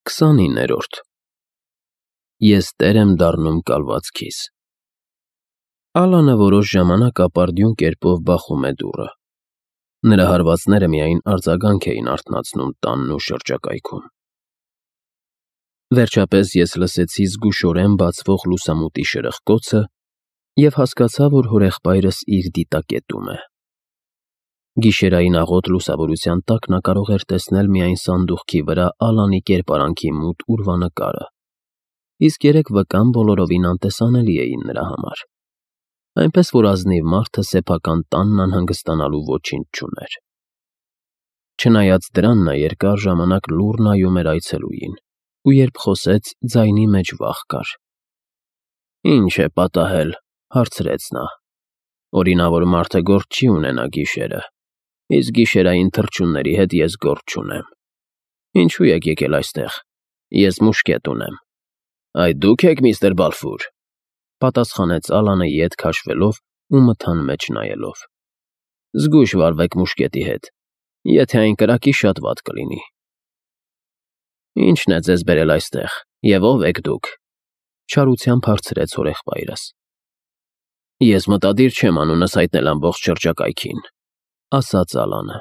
29-րդ Ես տեր եմ դառնում կալվածքիս։ Ալանը որոշ ժամանակ ապարդյուն կերպով բախում է դուռը։ Նրա հարվածները միայն արձագանք էին արթնացնում տանն ու շրջակայքում։ Վերջապես ես լսեցի զգուշորեն բացվող լուսամուտի շրխկոցը և հասկացա, որ հորեղբայրս իր դիտակետում է։ Գիշերային աղոտ լուսավորության տակ նա կարող էր տեսնել միայն սանդուղքի վրա Ալանի կերպարանքի մութ ուրվանկարը, իսկ երեք վկան բոլորովին անտեսանելի էին նրա համար, այնպես որ ազնիվ մարդը սեփական տանն անհանգստանալու ոչինչ չուներ։ Չնայած դրան նա երկար ժամանակ լուռ նայում էր այցելուին, ու երբ խոսեց, ձայնի մեջ վախ կար։ «Ի՞նչ է պատահել,֊ հարցրեց նա,֊ օրինավոր մարդը գործ չի ունենա գիշերը, իսկ գիշերային թռչունների հետ ես գործ չունեմ։ Ինչու եք եկել այստեղ։ Ես մուշկետ ունեմ»։ «Այդ դուք եք, միստր Բալֆուր,֊ պատասխանեց Ալանը ետ քաշվելով ու մթան մեջ նայելով։ «Զգույշ վարվեք մուշկետի հետ, եթե այն կրակի, շատ վատ կլինի»։ «Ի՞նչն է ձեզ բերել այստեղ, և ով եք դուք,֊ չարությամբ հարցրեց հորեղբայրս։ «Ես մտադիր չեմ անունս հայտնել ամբողջ շրջակայքին,֊ ասաց Ալանը։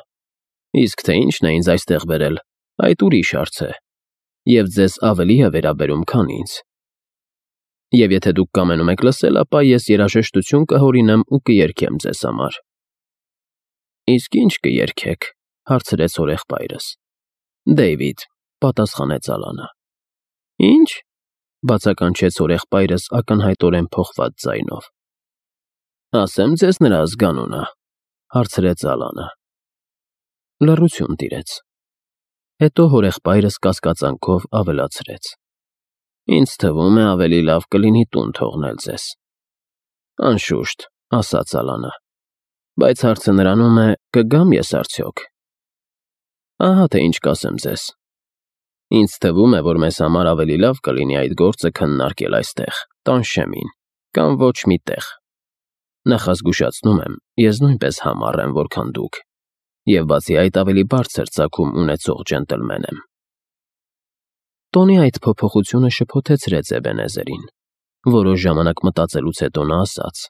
Իսկ թե ինչն է ինձ այստեղ բերել, այդ ուրիշ հարց է, և ձեզ ավելի է վերաբերում, քան ինձ։ Եվ եթե դուք կամենում եք լսել, ապա ես երաժշտություն կհորինեմ ու կերգեմ ձեզ համար»։ «Իսկ ի՞նչ կերգեք,֊ հարցրեց հորեղբայրս։ «Դեյվիդ,֊ պատասխանեց Ալանը։ «Ի՞նչ,֊ բացականչեց հորեղբայրս ակնհայտորեն փոխված ձայնով։ «Ասեմ ձեզ նրա ազգանունը,֊ հարցրեց Ալանը։ Լռություն տիրեց։ Հետո հորեղբայրս կասկածանքով ավելացրեց. «Ինձ թվում է, ավելի լավ կլինի տուն թողնել ձեզ»։ «Անշուշտ,֊ ասաց Ալանը, բայց հարցը նրանում է, կգամ ես արդյոք։ Ահա թե ինչ կասեմ ձեզ. ինձ թվում է, որ մեզ համար ավելի լավ կլինի այդ գործը քննարկել այստեղ, տանշեմին, կամ ոչ մի տեղ։ Նախազգուշացնում եմ, ես նույնպես համառ եմ, որքան դուք, և բացի այդ ավելի բարձր ծագում ունեցող ջենտլմեն եմ»։ Տոնի այդ փոփոխությունը շփոթեցրեց Էբենեզերին։ Որոշ ժամանակ մտածելուց հետո նա ասաց.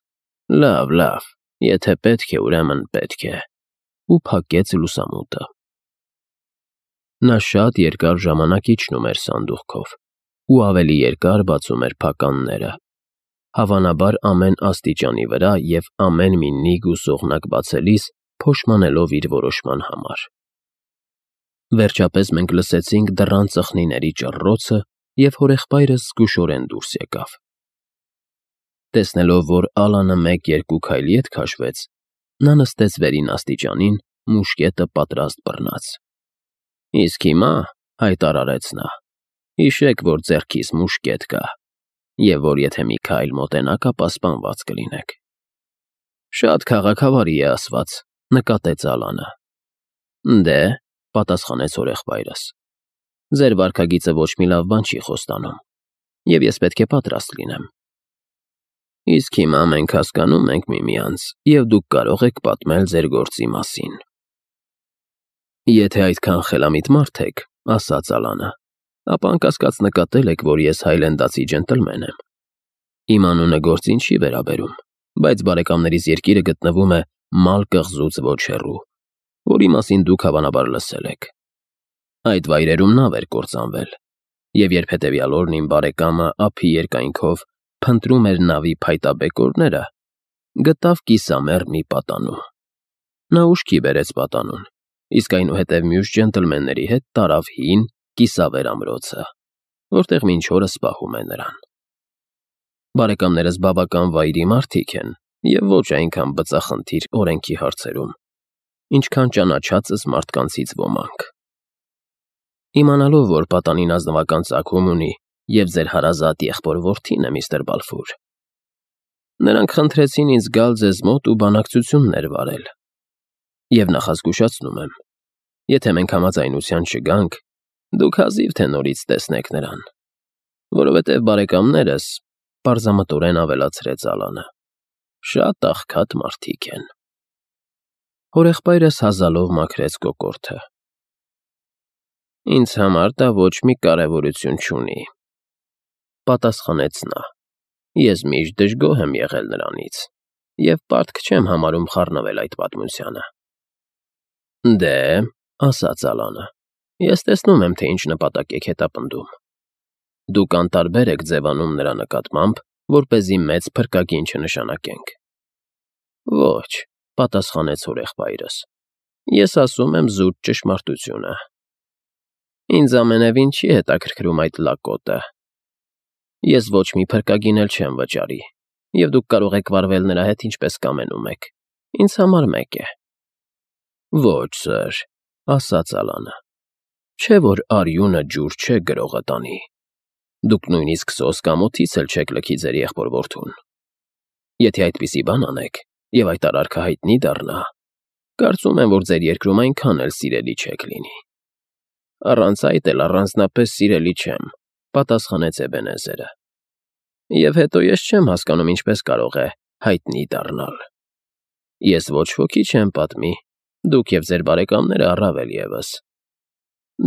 «Լավ, եթե պետք է, ուրեմն պետք է», ու փակեց լուսամուտը։ Նա շատ երկար ժամանակ իջնում էր սանդուղքով ու ավելի երկար բացում էր փականները, հավանաբար ամեն աստիճանի վրա և ամեն մի նիգ ու սողնակ բացելիս փոշմանելով իր որոշման համար։ Վերջապես մենք լսեցինք դռան ծխնիների ճռռոցը, և հորեղբայրս զգուշորեն դուրս եկավ։ Տեսնելով, որ Ալանը 1-2 քայլ ետ քաշվեց, նա նստեց վերին աստիճանին, մուշկետը պատրաստ բռնած։ «Իսկ հիմա,֊ հայտարարեց նա,֊ հիշեք, որ ձեռքիս մուշկետ կա, և որ եթե մի քայլ մոտենաք, ապա սպանված կլինեք»։ «Շատ քաղաքավարի է ասված,֊ նկատեց Ալանը։ «Դե,֊ պատասխանեց հորեղբայրս,֊ ձեր վարքագիծը ոչ մի լավ բան չի խոստանում, և ես պետք է պատրաստ լինեմ։ Իսկ հիմա մենք հասկանում ենք միմյանց, և դուք կարող եք պատմել ձեր գործի մասին»։ «Եթե այդքան խելամիտ մարդ եք,֊ ասաց Ալանը,֊ ապա անկասկած նկատել եք, որ ես հայլենդացի ջենտլմեն եմ։ Իմ անունը գործին չի վերաբերում, բայց բարեկամներիս երկիրը գտնվում է Մալ կղզուց ոչ հեռու, որի մասին դուք հավանաբար լսել եք։ Այդ վայրերում նավ էր կործանվել, և երբ հետևյալ օրն իմ բարեկամը ափի երկայնքով փնտրում էր նավի փայտաբեկորները, գտավ կիսամեռ մի պատանու։ Նա ուշքի բերեց պատանուն, իսկ այնուհետև մյուս ջենտլմենների հետ տարավ հին, կիսավեր ամրոցը, որտեղ մինչ օրս պահում է նրան։ Բարեկամներս բավական վայրի մարդիկ են և ոչ այնքան բծախնդիր օրենքի հարցերում, ինչքան ճանաչածս մարդկանցից ոմանք։ Իմանալով, որ պատանին ազնվական ծագում ունի և ձեր հարազատ եղբոր֊որդին է, միստր Բալֆուր, նրանք խնդրեցին ինձ գալ ձեզ մոտ ու բանակցություններ վարել։ Եվ նախազգուշացնում եմ, եթե մենք համաձայնության չգանք, դուք հազիվ թե նորից տեսնեք նրան, որովհետև բարեկամներս,֊ պարզամտորեն ավելացրեց Ալանը,֊ շատ աղքատ մարդիկ են»։ Հորեղբայրս հազալով մաքրեց կոկորդը։ Ինձ համար դա ոչ մի կարևորություն չունի, պատասխանեց նա։ Ես միշտ դժգոհ եմ եղել նրանից և պարտք չեմ համարում խառնվել այդ պատմությանը։ Դե, ասաց Ալանը, ես տեսնում եմ, թե ինչ նպատակ եք հետապնդում։ Դուք անտարբեր եք ձևանում նրա նկատմամբ, որպեսզի մեծ փրկագին չնշանակենք։ Ոչ, պատասխանեց հորեղբայրս, ես ասում եմ զուտ ճշմարտությունը։ Ինձ ամենևին չի հետաքրքրում այդ լակոտը։ Ես ոչ մի փրկագին էլ չեմ վճարի, և դուք կարող եք վարվել նրա հետ ինչպես կամենում եք, ինձ համար մեկ է։ Ոչ, սըր, ասաց Ալանը, չէ որ արյունը ջուր չէ գրողը տանի։ Դուք նույնիսկ սոս կամ օձից էլ չեք լքի ձեր եղբոր-որդուն։ Եթե այդպիսի բան անեք, և այդ արարքը հայտնի դառնա, կարծում եմ, որ ձեր երկրում այնքան էլ սիրելի չեք լինի։ Առանց այդ էլ առանձնապես սիրելի չեմ, պատասխանեց Էբենեզերը։ Եվ հետո ես չեմ հասկանում, ինչպես կարող է հայտնի դառնալ։ Ես ոչ ոքի չեմ պատմի, դուք և ձեր բարեկամները առավել ևս։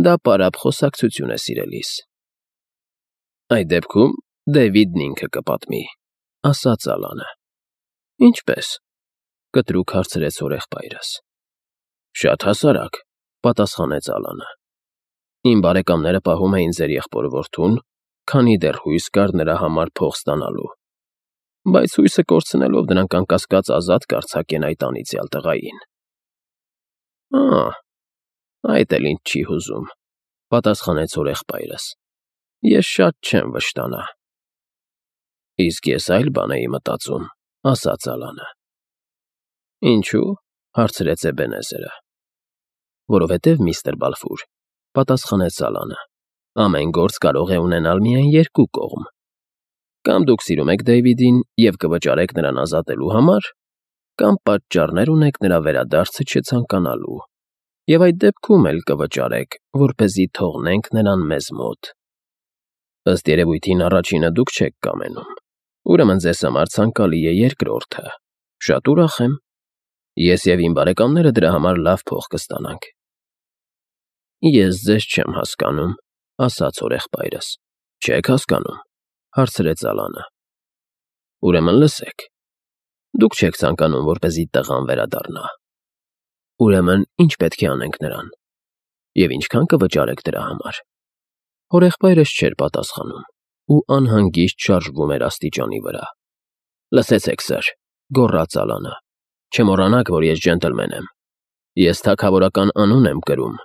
Դա պարապ խոսակցություն է սիրելիս։ Այդ դեպքում Դեվիդն ինքը կպատմի, ասաց Ալանը։ Ինչպես, կտրուկ հարցրեց հորեղբայրս։ Շատ հասարակ, պատասխանեց Ալանը։ Իմ բարեկամները պահում էին ձեր եղբոր-որդուն, քանի դեռ հույս կար նրա համար փող ստանալու, բայց հույսը կորցնելով նրանք անկասկած ազատ կարձակեն այդ անիծյալ տղային։ Այդ էլ ինձ չի հուզում, պատասխանեց հորեղբայրս։ Ես շատ չեմ վշտանա։ Իսկ ես այլ բան էի մտածում, ասաց Ալանը։ Ինչու՞, հարցրեց Էբենեզերը։ Որովհետև, միստր Բալֆուր, պատասխանեց Ալանը, ամեն գործ կարող է ունենալ միայն երկու կողմ։ Կամ դուք սիրում եք Դեյվիդին և կվճարեք նրան ազատելու համար, կամ պատճառներ ունեք նրա վերադարձը չցանկանալու, և այդ դեպքում էլ կվճարեք, որպեսզի թողնենք նրան մեզ մոտ։ Ըստ երևույթին առաջինը դուք չեք կամենում, ուրեմն ձեզ համար ցանկալի է երկրորդը։ Շատ ուրախ եմ։ Ես և իմ բարեկամները դրա համար լավ փող կստանանք։ Ես ձեզ չեմ հասկանում, ասաց հորեղբայրս։ Չեք հասկանում, հարցրեց Ալանը։ Ուրեմն լսեք։ Դուք չեք ցանկանում, որպեսզի տղան վերադառնա։ Ուրեմն ինչ պետք է անենք նրան։ Եվ ինչքան կվճարեք դրա համար։ Հորեղբայրս չէր պատասխանում ու անհանգիստ շարժվում էր աստիճանի վրա։ Լսեցեք, սըր, գոռաց Ալանը, չմոռանաք, որ ես ջենտլմեն եմ։ Ես թագավորական անուն եմ կրում,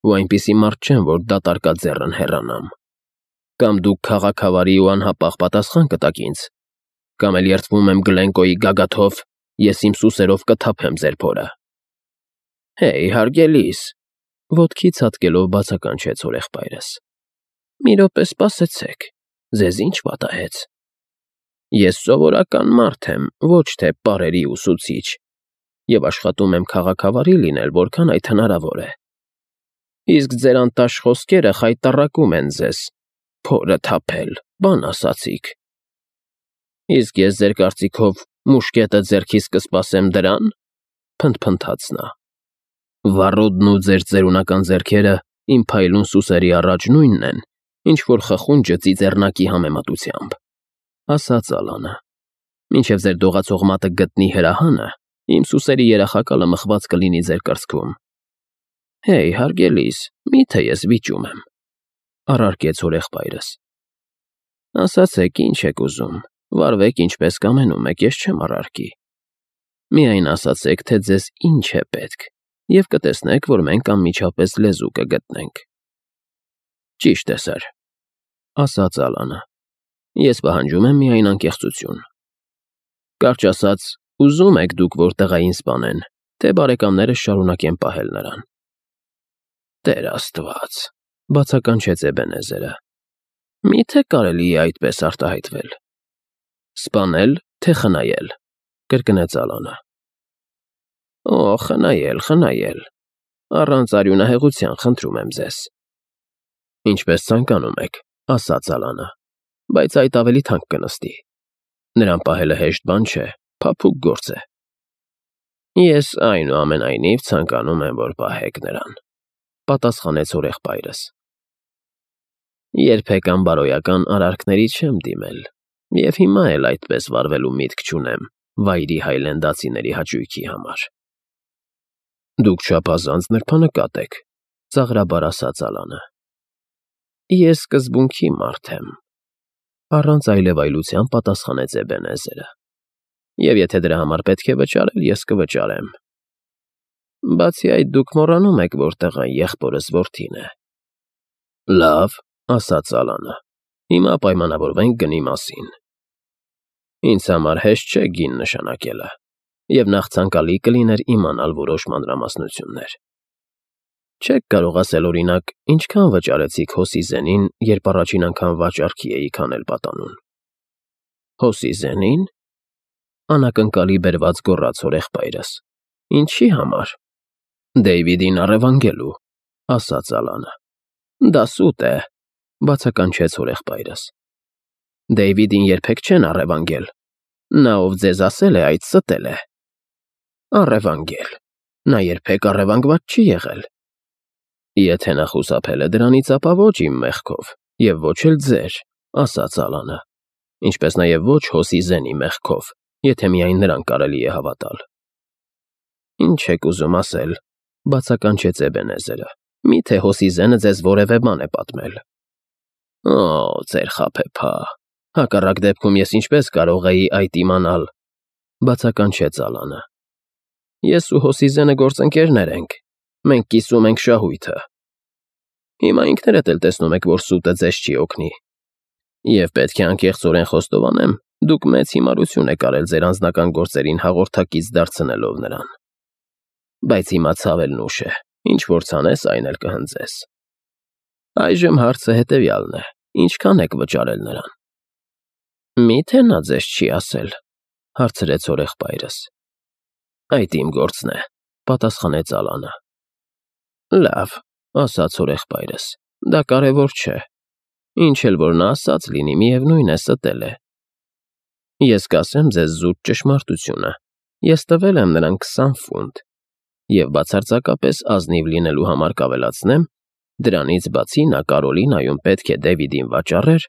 ու այնպիսի մարդ չեմ, որ դատարկաձեռն հեռանամ։ Կամ դուք քաղաքավարի ու անհապաղ պատասխան կտաք ինձ, կամ էլ երդվում եմ Գլենկոյի գագաթով, ես իմ սուսերով կթափեմ ձեր փորը։ Հեյ, հարգելիս, ոտքի ցատկելով բացականչեց հորեղբայրս։ Մի րոպե սպասեցեք, ձեզ ինչ պատահեց։ Ես սովորական մարդ եմ, ոչ թե պարերի ուսուցիչ, և աշխատում եմ քաղաքավարի լինել, որքան այդ հնարավոր է։ Իսկ ձեր անտաշ խոսքերը խայտառակում են ձեզ, փորը թափել, բան ասացիք։ Իսկ ես ձեր կարծիքով մուշկետը ձեռքիս կսպասեմ դրան, փնթփնթաց նա։ Վառոդն ու ձեր ծերունական ձեռքերը իմ փայլուն սուսերի առաջ նույնն են, ինչ որ խխունջը ծիծեռնակի համեմատությամբ, ասաց Ալանը։ Մինչև ձեր դողացող մատը գտնի հրահանը, իմ սուսերի երախակալը մխված կլինի ձեր կրծքում։ Հեյ, հարգելիս, մի՞թե ես վիճում եմ, առարկեց հորեղբայրս։ Ասացեք, ինչ եք ուզում, վարվեք ինչպես կամենում եք, ես չեմ առարկի։ Միայն ասացեք, թե ձեզ ինչ է պետք, և կտեսնեք, որ մենք անմիջապես լեզու կգտնենք։ Ճիշտ է, սըր, ասաց Ալանը։ Ես պահանջում եմ միայն անկեղծություն։ Կարճ ասած, ուզում եք դուք, որ տղային սպանեն, թե բարեկամներս շարունակեն պահել նրան։ Տեր Աստված, բացականչեց Էբենեզերը։ Մի՞թե կարելի է այդպես արտահայտվել։ Սպանել, թե խնայել, կրկնեց Ալանը։ Օ, խնայել, առանց արյունահեղության, խնդրում եմ ձեզ։ Ինչպես ցանկանում եք, ասաց Ալանը, բայց այդ ավելի թանկ կնստի։ Նրան պահելը հեշտ բան չէ, փափուկ գործ է։ Ես այնուամենայնիվ ցանկանում եմ, որ պահեք նրան, պատասխանեց հորեղբայրս։ Երբեք անբարոյական արարքների չեմ դիմել, և հիմա էլ այդպես վարվելու միտք չունեմ վայրի հայլենդացիների հաճույքի համար։ Դուք չափազանց նրբանկատ եք, ծաղրաբար ասաց Ալանը։ Ես սկզբունքի մարդ եմ, առանց այլևայլության պատասխանեց Էբենեզերը։ Եվ եթե դրա համար պետք է վճարել, ես կվճարեմ։ Բացի այդ, դուք մոռանում եք, որ տղան եղբորս որդին է։ Լավ, ասաց Ալանը, հիմա պայմանավորվենք գնի մասին։ Ինձ համար հեշտ չէ գին նշանակելը, և նախ ցանկալի կլիներ իմանալ որոշ մանրամասնություններ։ Չեք կարող ասել, օրինակ, ինչքան վճարեցիք Հոսիզենին, երբ առաջին անգամ վաճառքի էիք անել պատանուն։ Հոսիզենին։ Անակնկալի բերված գոռաց հորեղբայրս։ Ինչի համար։ Դեյվիդին առևանգելու, ասաց Ալանը։ Դա սուտ է, բացականչեց հորեղբայրս։ Դեյվիդին երբեք չեն առևանգել։ Նա, ով ձեզ ասել է, այդ ստել է։ Առևանգել։ Նա երբեք առևանգված չի եղել։ Եթե նա խուսափել է դրանից, ապա ոչ իմ մեղքով, և ոչ էլ ձեր, ասաց Ալանը, ինչպես նաև ոչ Հոսիզենի մեղքով, եթե միայն նրան կարելի է հավատալ։ Ինչ եք ուզում ասել, բացականչեց Էբենեզերը, միթե Հոսիզենը ձեզ որևէ բան է պատմել։ Օ, ձեր խաբեբա, հակառակ դեպքում ես ինչպես կարող էի այդ իմանալ, բացականչեց Ալանը։ Ես ու Հոսիզենը գործընկերներ ենք, մենք կիսում ենք շահույթը։ Հիմա ինքներդ էլ տեսնում եք, որ սուտը ձեզ չի օգնի։ Եվ պետք է անկեղծորեն խոստովանեմ, դուք մեծ հիմարություն եք արել ձեր անձնական գործերին հաղորդակից դարձնելով նրան։ Բայց հիմա ցավելն ուշ է, ինչ որ ցանես, այն էլ կհնձես։ Այժմ հարցը հետևյալն է. ինչքան եք վճարել նրան։ Միթե նա ձեզ չի ասել, հարցրեց հորեղբայրս։ Այդ իմ գործն է, պատասխանեց Ալանը։ Լավ, ասաց հորեղբայրս, դա կարևոր չէ։ Ինչ էլ որ նա ասած լինի, միևնույն է, ստել է։ Ես կասեմ ձեզ զուտ ճշմարտությունը, ես տվել եմ նրան 20 ֆունտ, և բացարձակապես ազնիվ լինելու համար կավելացնեմ, դրանից բացի նա Կարոլինայում պետք է Դեվիդին վաճառեր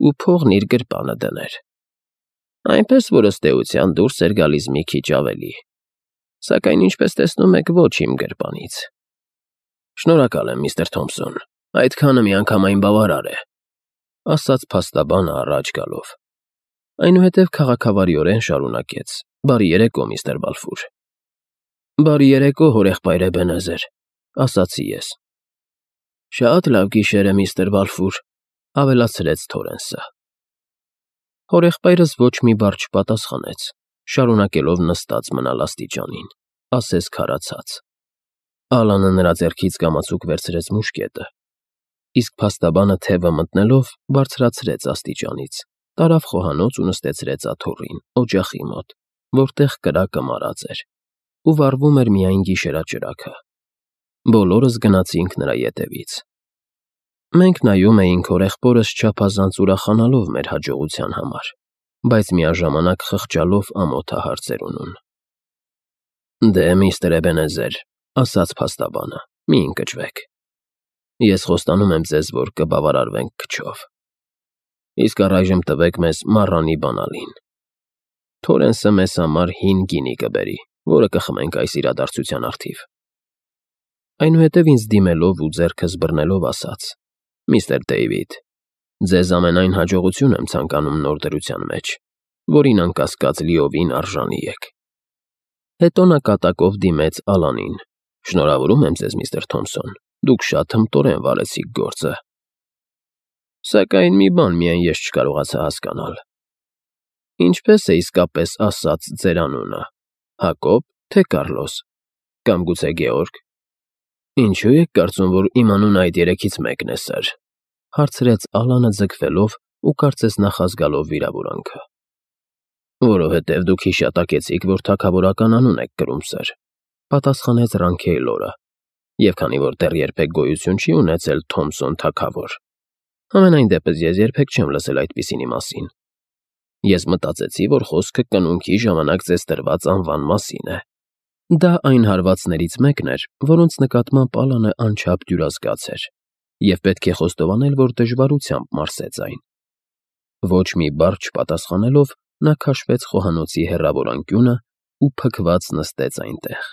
ու փողն իր գրպանը դներ։ Այնպես որ ըստ էության դուրս էր գալիս մի քիչ ավելի, սակայն ինչպես տեսնում եք, ոչ իմ գրպանից։ Շնորհակալ եմ, միստր Թոմփսոն, այդքանը միանգամայն բավարար է, ասաց փաստաբանը առաջ գալով։ Այնուհետև քաղաքավարիորեն շարունակեց. Բարի երեկո, միստր Բալֆուր։ Բարի երեկո, հորեղբայր Էբենեզեր, ասացի ես։ Շատ լավ գիշեր է, միստր Բալֆուր, ավելացրեց Թորենսը։ Հորեղբայրս ոչ մի բառ չպատասխանեց, շարունակելով նստած մնալ աստիճանին, ասես քարացած։ Ալանը նրա ձեռքից կամացուկ վերցրեց մուշկետը, իսկ փաստաբանը թևը մտնելով բարձրացրեց աստիճանից, տարավ խոհանոց ու նստեցրեց աթոռին, օջախի մոտ, որտեղ կրակը մարած էր, ու վառվում էր միայն գիշերաճրագը։ Բոլորս գնացինք նրա ետևից։ Մենք նայում էինք հորեղբորս չափազանց ուրախանալով մեր հաջողության համար, բայց միաժամանակ խղճալով ամոթահարցերունուն։ Դե, միստր Էբենեզեր, ասաց փաստաբանը, մի ընկճվեք։ Ես խոստանում եմ ձեզ, որ կբավարարվենք քչով։ Իսկ առայժմ տվեք մեզ մառանի բանալին։ Թորենսը մեզ համար հին գինի կբերի, որը կխմենք այս իրադարձության առթիվ։ Այնուհետև ինձ դիմելով ու ձեռքս բռնելով ասաց. Միստր Դեյվիդ, ձեզ ամենայն հաջողություն եմ ցանկանում նոր դրության մեջ, որին անկասկած լիովին արժանի եք։ Հետո նա կատակով դիմեց Ալանին. Շնորհավորում եմ ձեզ, միստր Թոմփսոն, դուք շատ հմտորեն վարեցիք գործը։ Սակայն մի բան միայն ես չկարողացա հասկանալ. ինչպես է իսկապես ասած ձեր անունը, Հակոբ, թե Կառլոս, կամ գուցե Գեորգ։ Ինչու եք կարծում, որ իմ անունը այդ երեքից մեկն է, սըր, հարցրեց Ալանը ձգվելով ու կարծես նախազգալով վիրավորանքը։ Որովհետև դուք հիշատակեցիք, որ թագավորական անուն եք կրում, սըր, պատասխանեց Ռանքեյլորը, և քանի որ դեռ երբեք գոյություն չի ունեցել Թոմփսոն թագավոր, համենայն դեպս ես երբեք չեմ լսել այդպիսինի մասին։ Ես մտածեցի, որ խոսքը կնունքի ժամանակ ձեզ տրված անվան մասին է։ Դա այն հարվածներից մեկն էր, որոնց նկատմամբ Ալանը անչափ դյուրազգաց էր։ և պետք է խոստովանել, որ դժվարությամբ մարսեց այն։ Ոչ մի բառ չպատասխանելով, նա քաշվեց խոհանոցի հեռավոր անկյունը ու փքված նստեց այնտեղ։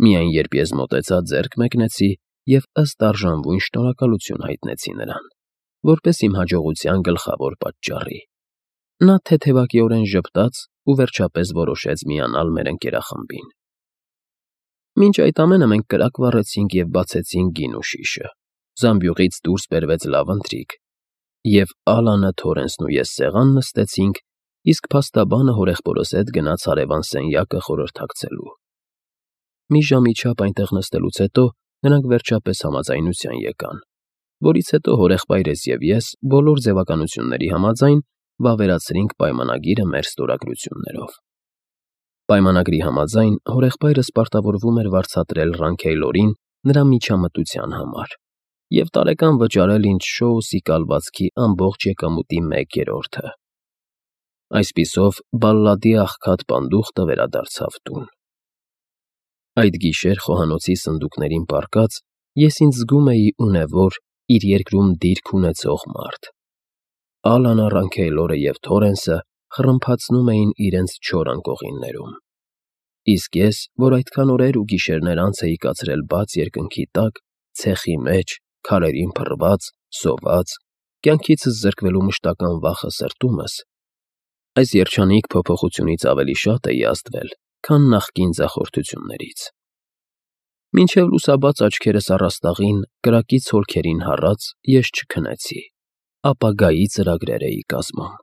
Միայն երբ ես մոտեցա, ձեռք մեկնեցի և ըստ արժանվույն շնորհակալություն հայտնեցի նրան, որպես իմ հաջողության գլխավոր պատճառի։ Նա թեթևակիորեն ժպտաց ու վերջապես որոշեց միանալ մեր ընկերախմբին։ Մինչ այդ ամենը մենք կրակ վառեցինք և բացեցինք գինու շիշը։ Զամբյուղից դուրս բերվեց լավ ընթրիք, և Ալանը, Թորենսն ու ես սեղան նստեցինք, իսկ փաստաբանը հորեղբորս հետ գնաց հարևան սենյակը խորհրդակցելու։ Մի ժամի չափ այնտեղ նստելուց հետո նրանք վերջապես համաձայնության եկան, որից հետո հորեղբայրս և ես բոլոր ձևականությունների համաձայն վավերացրինք պայմանագիրը մեր ստորագրություններով։ Պայմանագրի համաձայն հորեղբայրս պարտավորվում էր վարձատրել Ռանքեյլորին նրա միջամտության համար և տարեկան վճարել ինձ Շոուսի կալվածքի ամբողջ եկամուտի 1/3-ը։ Այսպիսով, Բալլադի աղքատ պանդուխտը վերադարձավ տուն։ Այդ գիշեր խոհանոցի սնդուկներին պառկած ես ինձ զգում էի ունևոր, իր երկրում դիրք ունեցող մարդ։ Ալանը, Ռանքեյլորը և Թորենսը խռմփացնում էին իրենց չոր անկողիններում։ Իսկ ես, որ այդքան օրեր ու գիշերներ անց էի կացրել բաց երկնքի տակ, ցեխի մեջ, քարերին փռված, սոված, կյանքիցս զրկվելու մշտական վախը սրտումս, այս երջանիկ փոփոխությունից ավելի շատ էի ազդվել, քան նախկին ձախորդություններից։ Մինչև լուսաբաց աչքերս առաստաղին, կրակից հոլքերին հառած, ես չքնեցի, ապագայի ծրագրեր էի կազմում։